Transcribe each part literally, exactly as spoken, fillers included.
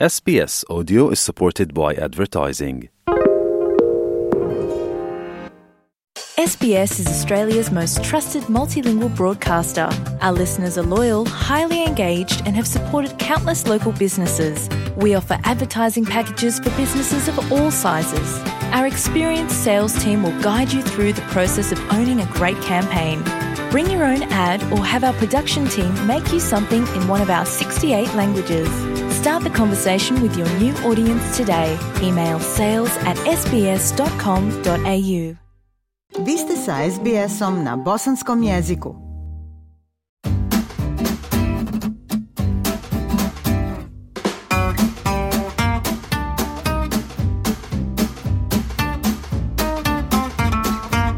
S B S Audio is supported by advertising. S B S is Australia's most trusted multilingual broadcaster. Our listeners are loyal, highly engaged, and have supported countless local businesses. We offer advertising packages for businesses of all sizes. Our experienced sales team will guide you through the process of owning a great campaign. Bring your own ad or have our production team make you something in one of our sixty-eight languages. Start the conversation with your new audience today. Email sales at s b s dot com dot a u. Vi ste sa S B S-om na bosanskom jeziku.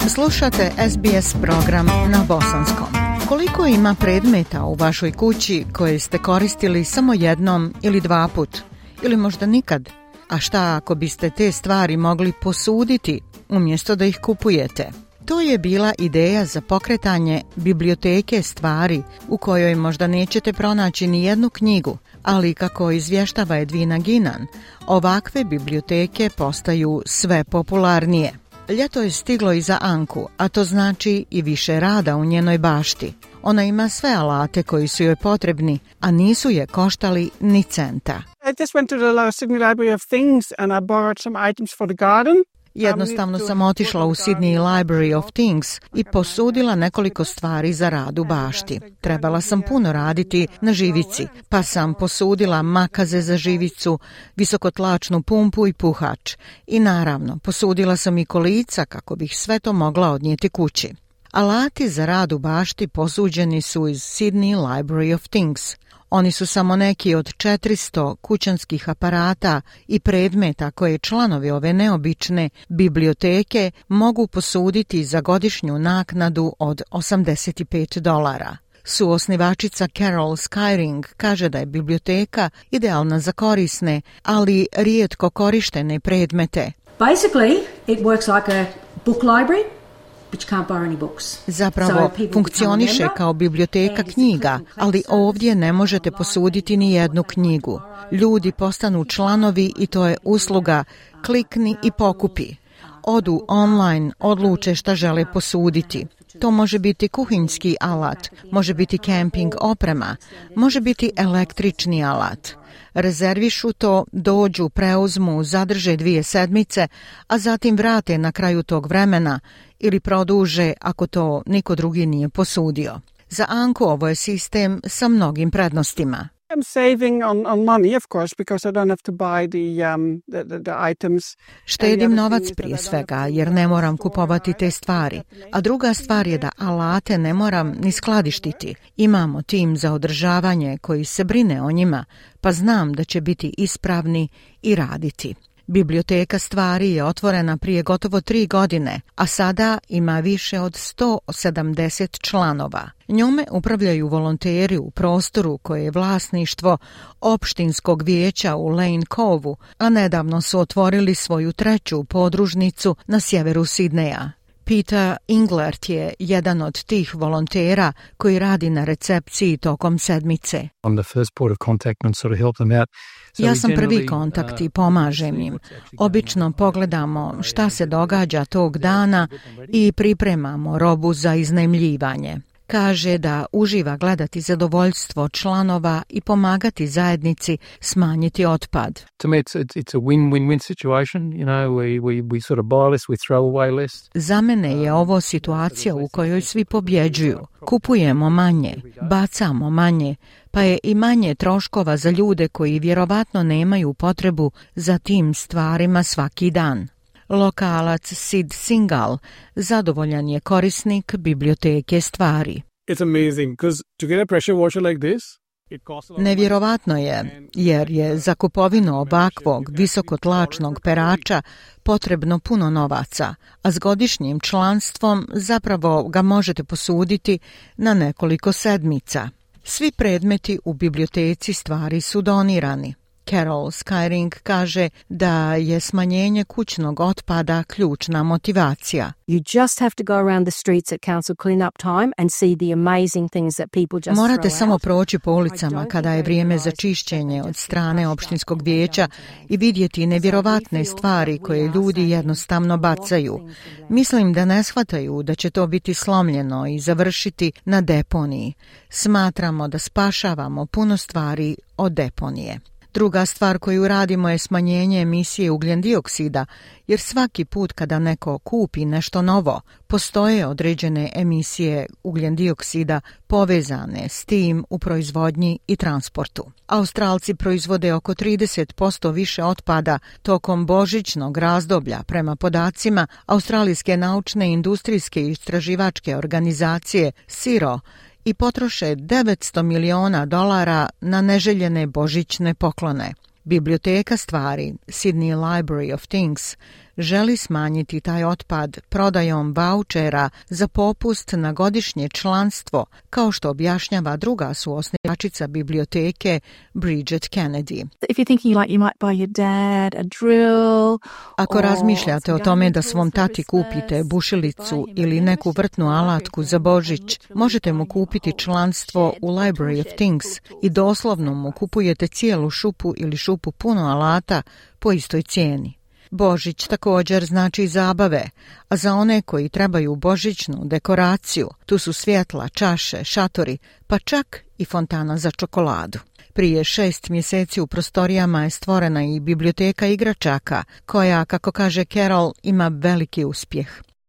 Slušate S B S program na bosanskom. Koliko ima predmeta u vašoj kući koje ste koristili samo jednom ili dva put? Ili možda nikad? A šta ako biste te stvari mogli posuditi umjesto da ih kupujete? To je bila ideja za pokretanje biblioteke stvari u kojoj možda nećete pronaći ni jednu knjigu, ali kako izvještava Edwina Ginan, ovakve biblioteke postaju sve popularnije. Ljeto je stiglo i za Anku, a to znači i više rada u njenoj bašti. Ona ima sve alate koji su joj potrebni, a nisu je koštali ni centa. I just went to the Sydney Library of Things and I borrowed some items for the garden. Jednostavno sam otišla u Sydney Library of Things i posudila nekoliko stvari za rad u bašti. Trebala sam puno raditi na živici, pa sam posudila makaze za živicu, visokotlačnu pumpu i puhač. I naravno, posudila sam i kolica kako bih sve to mogla odnijeti kući. Alati za rad u bašti posuđeni su iz Sydney Library of Things. Oni su samo neki od četiristo kućanskih aparata i predmeta koje članovi ove neobične biblioteke mogu posuditi za godišnju naknadu od osamdeset pet dolara. Suosnivačica Carol Skyring kaže da je biblioteka idealna za korisne, ali rijetko korištene predmete. Basically, it works like a book library. Zapravo funkcioniše kao biblioteka knjiga, ali ovdje ne možete posuditi ni jednu knjigu. Ljudi postanu članovi i to je usluga klikni i pokupi. Odu online, odluče šta žele posuditi. To može biti kuhinjski alat, može biti kemping oprema, može biti električni alat. Rezervišu to, dođu, preuzmu, zadrže dvije sedmice, a zatim vrate na kraju tog vremena ili produže ako to niko drugi nije posudio. Za Anku ovo je sistem sa mnogim prednostima. I'm saving on, on money, of course, because I don't have to buy the, um, the, the, the items. Štedim novac prije svega, jer ne moram kupovati te stvari. A druga stvar je da alate ne moram ni skladištiti. Imamo tim za održavanje koji se brine o njima, pa znam da će biti ispravni i raditi. Biblioteka stvari je otvorena prije gotovo tri godine, a sada ima više od sto sedamdeset članova. Njome upravljaju volonteri u prostoru koje je vlasništvo opštinskog vijeća u Lane Cove-u, a nedavno su otvorili svoju treću podružnicu na sjeveru Sidneja. Peter Englert je jedan od tih volontera koji radi na recepciji tokom sedmice. Ja sam prvi kontakt i pomažem im. Obično pogledamo šta se događa tog dana i pripremamo robu za iznajmljivanje. Kaže da uživa gledati zadovoljstvo članova i pomagati zajednici smanjiti otpad. Za mene je ovo situacija u kojoj svi pobjeđuju. Kupujemo manje, bacamo manje, pa je i manje troškova za ljude koji vjerovatno nemaju potrebu za tim stvarima svaki dan. Lokalac Sid Singal zadovoljan je korisnik biblioteke stvari. Nevjerovatno je, jer je za kupovinu ovakvog visokotlačnog perača potrebno puno novaca, a s godišnjim članstvom zapravo ga možete posuditi na nekoliko sedmica. Svi predmeti u biblioteci stvari su donirani. Carol Skyring kaže da je smanjenje kućnog otpada ključna motivacija. You just have to go around the streets at council clean-up time and see the amazing things that people just Morate throw samo out. proći po ulicama kada je vrijeme za čišćenje od strane opštinskog vijeća i vidjeti nevjerovatne stvari koje ljudi jednostavno bacaju. Mislim da ne shvataju da će to biti slomljeno i završiti na deponiji. Smatramo da spašavamo puno stvari od deponije. Druga stvar koju radimo je smanjenje emisije ugljen dioksida, jer svaki put kada neko kupi nešto novo, postoje određene emisije ugljen dioksida povezane s tim u proizvodnji i transportu. Australci proizvode oko trideset posto više otpada tokom božićnog razdoblja prema podacima Australijske naučne, industrijske i istraživačke organizacije S I R O, i potroše devetsto miliona dolara na neželjene božićne poklone. Biblioteka stvari Sydney Library of Things želi smanjiti taj otpad prodajom vaučera za popust na godišnje članstvo, kao što objašnjava druga suosnivačica biblioteke Bridget Kennedy. If you're thinking like you might buy your dad a drill, Ako razmišljate o tome da svom tati kupite bušilicu ili neku vrtnu alatku za Božić, možete mu kupiti članstvo u Library of Things i doslovno mu kupujete cijelu šupu ili šupu puno alata po istoj cijeni. Božić također znači zabave, a za one koji trebaju božićnu dekoraciju, tu su svjetla, čaše, šatori, pa čak i fontana za čokoladu. Prije šest mjeseci u prostorijama je stvorena i biblioteka igračaka, koja, kako kaže Carol, ima veliki uspjeh.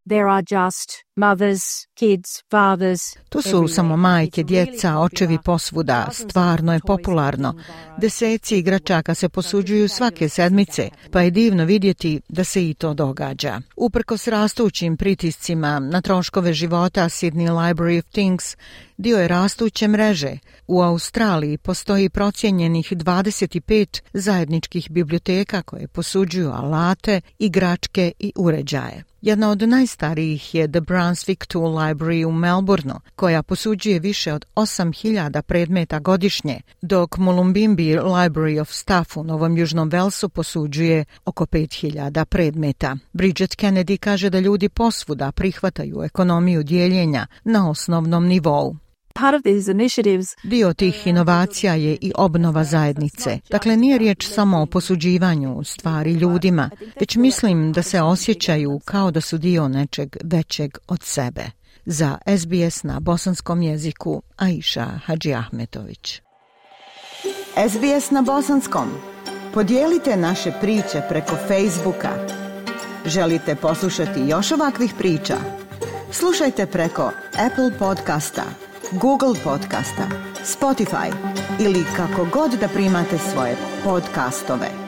There are just mothers, kids, fathers. Tu su samo majke, djeca, očevi posvuda. Stvarno je popularno. Deseci igračaka se posuđuju svake sedmice, pa je divno vidjeti da se i to događa. Uprkos rastućim pritiscima na troškove života, Sydney Library of Things dio je rastuće mreže. U Australiji postoji procijenjenih dvadeset pet zajedničkih biblioteka koje posuđuju alate, igračke i uređaje. Jedna od najstarijih je The Brunswick Tool Library u Melbourneu, koja posuđuje više od osam hiljada predmeta godišnje, dok Mullumbimby Library of Stuff u Novom Južnom Velsu posuđuje oko pet hiljada predmeta. Bridget Kennedy kaže da ljudi posvuda prihvataju ekonomiju dijeljenja na osnovnom nivou. part of these initiatives. Dio tih inovacija je i obnova zajednice. Dakle, nije riječ samo o posuđivanju stvari ljudima, već mislim da se osjećaju kao da su dio nečeg većeg od sebe. Za S B S na bosanskom jeziku, Aisha Hadžiahmetović. S B S na bosanskom. Podijelite naše priče preko Facebooka. Želite poslušati još ovakvih priča? Slušajte preko Apple podcasta, Google podcasta, Spotify ili kako god da primate svoje podcastove.